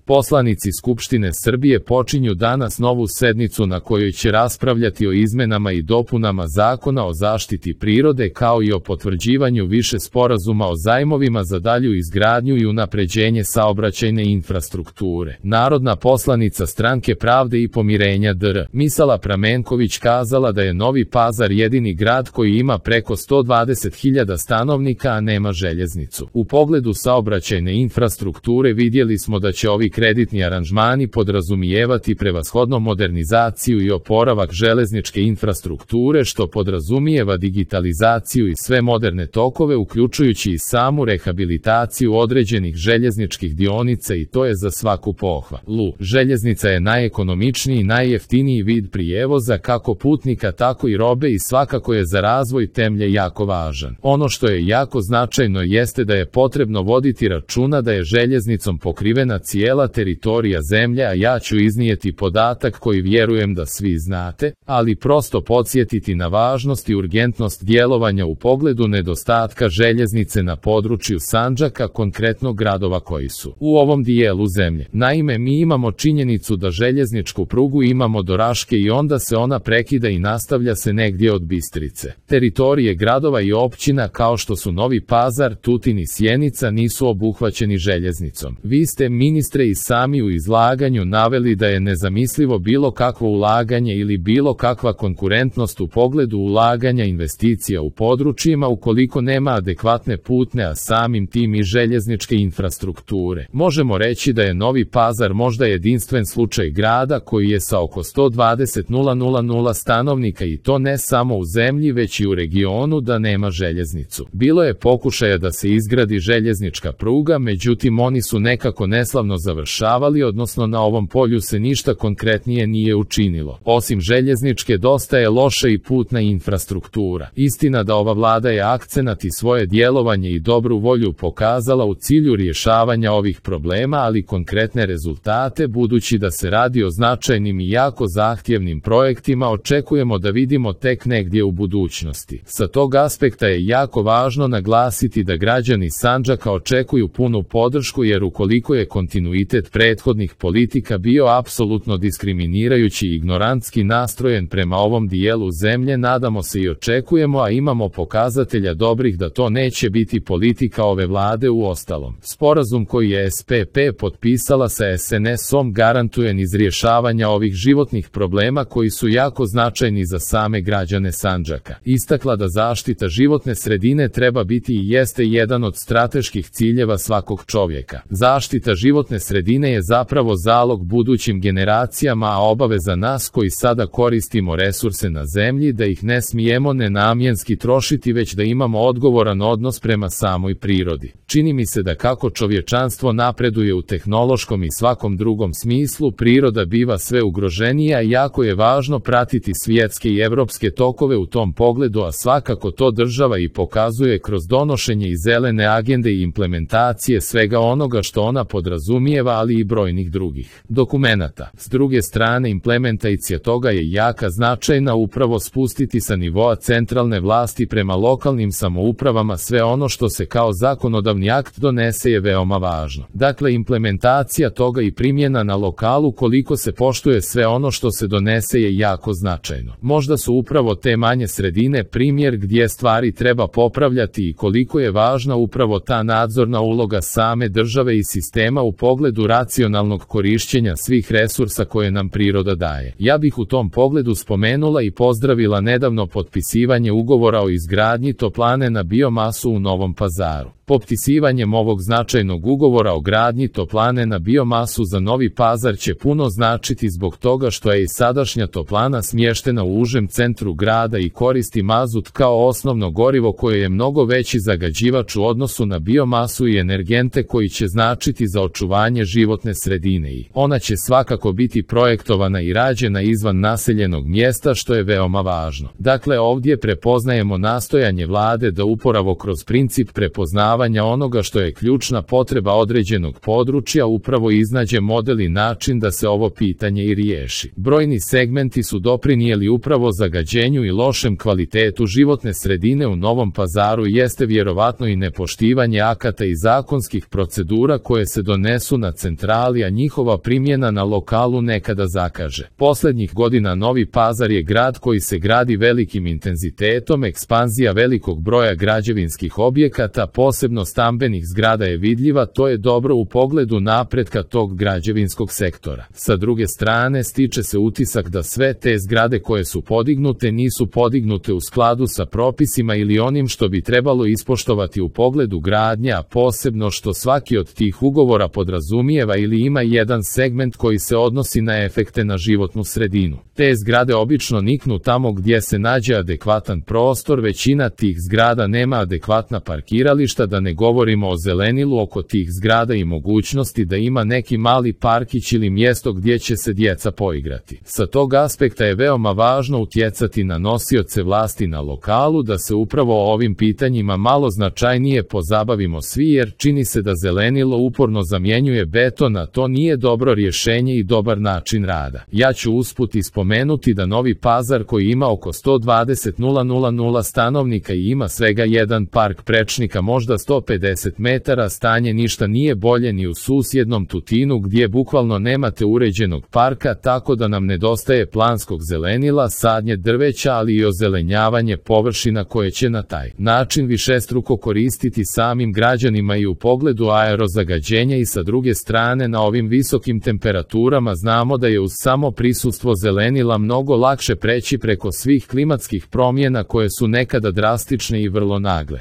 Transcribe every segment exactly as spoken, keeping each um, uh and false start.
Poslanici Skupštine Srbije počinju danas novu sednicu na kojoj će raspravljati o izmenama i dopunama Zakona o zaštiti prirode kao i o potvrđivanju više sporazuma o zajmovima za dalju izgradnju i unapređenje saobraćajne infrastrukture. Narodna poslanica Stranke pravde i pomirenja D R Misala Pramenković kazala da je Novi Pazar jedini grad koji ima preko sto dvadeset hiljada stanovnika, a nema željeznicu. U pogledu saobraćajne infrastrukture vidjeli smo da će ovi kreditni aranžmani podrazumijevati prevashodno modernizaciju i oporavak železničke infrastrukture, što podrazumijeva digitalizaciju i sve moderne tokove, uključujući i samu rehabilitaciju određenih željezničkih dionica, i to je za svaku pohvalu. Željeznica je najekonomičniji i najjeftiniji vid prijevoza kako putnika tako i robe i svakako je za razvoj zemlje jako važan. Ono što je jako značajno jeste da je potrebno voditi računa da je željeznicom pokrivena cijela teritorija zemlje, a ja ću iznijeti podatak koji vjerujem da svi znate, ali prosto podsjetiti na važnost i urgentnost djelovanja u pogledu nedostatka željeznice na području Sandžaka, konkretno gradova koji su u ovom dijelu zemlje. Naime, mi imamo činjenicu da željezničku prugu imamo do Raške i onda se ona prekida i nastavlja se negdje od Bistrice. Teritorije gradova i općina kao što su Novi Pazar, Tutin i Sjenica nisu obuhvaćeni željeznicom. Vi ste, ministre, i sami u izlaganju naveli da je nezamislivo bilo kakvo ulaganje ili bilo kakva konkurentnost u pogledu ulaganja investicija u područjima ukoliko nema adekvatne putne, a samim tim i željezničke infrastrukture. Možemo reći da je Novi Pazar možda jedinstven slučaj grada koji je sa oko sto dvadeset hiljada stanovnika, i to ne samo u zemlji već i u regionu, da nema željeznicu. Bilo je pokušaja da se izgradi željeznička pruga, međutim oni su nekako neslavno završavali, odnosno na ovom polju se ništa konkretnije nije učinilo. Osim željezničke, dosta je loša i putna infrastruktura. Istina da ova vlada je akcenat i svoje djelovanje i dobru volju pokazala u cilju rješavanja ovih problema, ali konkretne rezultate, budući da se radi o značajnim i jako zahtjevnim projektima, očekujemo da vidimo tek negdje u budućnosti. Sa tog aspekta je jako važno naglasiti da građani Sandžaka očekuju punu podršku, jer ukoliko je kontinuitet prethodnih politika bio apsolutno diskriminirajući i ignorantski nastrojen prema ovom dijelu zemlje, nadamo se i očekujemo, a imamo pokazatelja dobrih da to neće biti politika ove vlade. U ostalom, sporazum koji je S P P potpisala sa S N S-om garantuje niz rješavanja ovih životnih problema koji su jako značajni za same građane Sandžaka. Istakla da zaštita životne sredine treba biti i jeste jedan od strateških ciljeva svakog čovjeka. Zaštita životne sredine je zapravo zalog budućim generacijama, a obaveza nas koji sada koristimo resurse na zemlji da ih ne smijemo nenamjenski trošiti, već da imamo odgovoran odnos prema samoj prirodi. Čini mi se da kako čovječanstvo napreduje u tehnološkom i svakom drugom smislu, priroda biva sve ugroženija i jako je važno pratiti svjetske i evropske tokove u tom pogledu, a svakako to država i pokazuje kroz donošenje i zelene agende i implementacije svega onoga što ona podrazumijeva, ali i brojnih drugih dokumenata. S druge strane, implementacija toga je jaka značajna upravo spustiti sa nivoa centralne vlasti prema lokalnim samoupravama sve ono što se kao zakonodavni akt donese je veoma važno. Dakle, implementacija toga i primjena na lokalu koliko se poštuje sve ono što se donese je jako značajno. Možda su upravo te manje sredine primjer gdje stvari treba popravljati i koliko je važna upravo ta nadzorna uloga same države i sistema u pogledu racionalnog korištenja svih resursa koje nam priroda daje. Ja bih u tom pogledu spomenula i pozdravila nedavno potpisivanje ugovora o izgradnji toplane na biomasu u Novom Pazaru. Potpisivanjem ovog značajnog ugovora o gradnji toplane na biomasu za Novi Pazar će puno značiti zbog toga što je i sadašnja toplana smještena u užem centru grada i koristi mazut kao osnovno gorivo koje je mnogo veći zagađivač u odnosu na biomasu i energente koji će značiti za očuvanje životne sredine, i ona će svakako biti projektovana i rađena izvan naseljenog mjesta, što je veoma važno. Dakle, ovdje prepoznajemo nastojanje vlade da upravo kroz princip prepoznavanja zadovoljavanja onoga što je ključna potreba određenog područja upravo iznađe model i način da se ovo pitanje i riješi. Brojni segmenti su doprinijeli upravo zagađenju i lošem kvalitetu životne sredine u Novom Pazaru i jeste vjerovatno i nepoštivanje akata i zakonskih procedura koje se donesu na centrali, a njihova primjena na lokalu nekada zakaže. Posljednjih godina Novi Pazar je grad koji se gradi velikim intenzitetom, ekspanzija velikog broja građevinskih objekata, posebno stambenih zgrada je vidljiva, to je dobro u pogledu napretka tog građevinskog sektora. Sa druge strane, stiče se utisak da sve te zgrade koje su podignute nisu podignute u skladu sa propisima ili onim što bi trebalo ispoštovati u pogledu gradnje, a posebno što svaki od tih ugovora podrazumijeva ili ima jedan segment koji se odnosi na efekte na životnu sredinu. Te zgrade obično niknu tamo gdje se nađe adekvatan prostor, većina tih zgrada nema adekvatna parkirališta, da ne govorimo o zelenilu oko tih zgrada i mogućnosti da ima neki mali parkić ili mjesto gdje će se djeca poigrati. Sa tog aspekta je veoma važno utjecati na nosioce vlasti na lokalu da se upravo o ovim pitanjima malo značajnije pozabavimo svi, jer čini se da zelenilo uporno zamjenjuje beton, a to nije dobro rješenje i dobar način rada. Ja ću usput ispomenuti da Novi Pazar, koji ima oko sto dvadeset hiljada stanovnika i ima svega jedan park prečnika, možda sto pedeset metara, stanje ništa nije bolje ni u susjednom Tutinu gdje bukvalno nemate uređenog parka, tako da nam nedostaje planskog zelenila, sadnje drveća, ali i ozelenjavanje površina koje će na taj način višestruko koristiti samim građanima i u pogledu aerozagađenja. I sa druge strane, na ovim visokim temperaturama znamo da je uz samo prisustvo zelenila mnogo lakše preći preko svih klimatskih promjena koje su nekada drastične i vrlo nagle.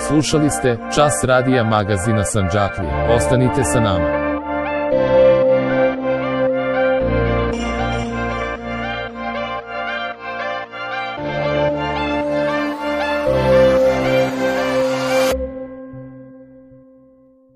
Slušali ste Čas radija magazina Sandžaklija. Ostanite sa nama.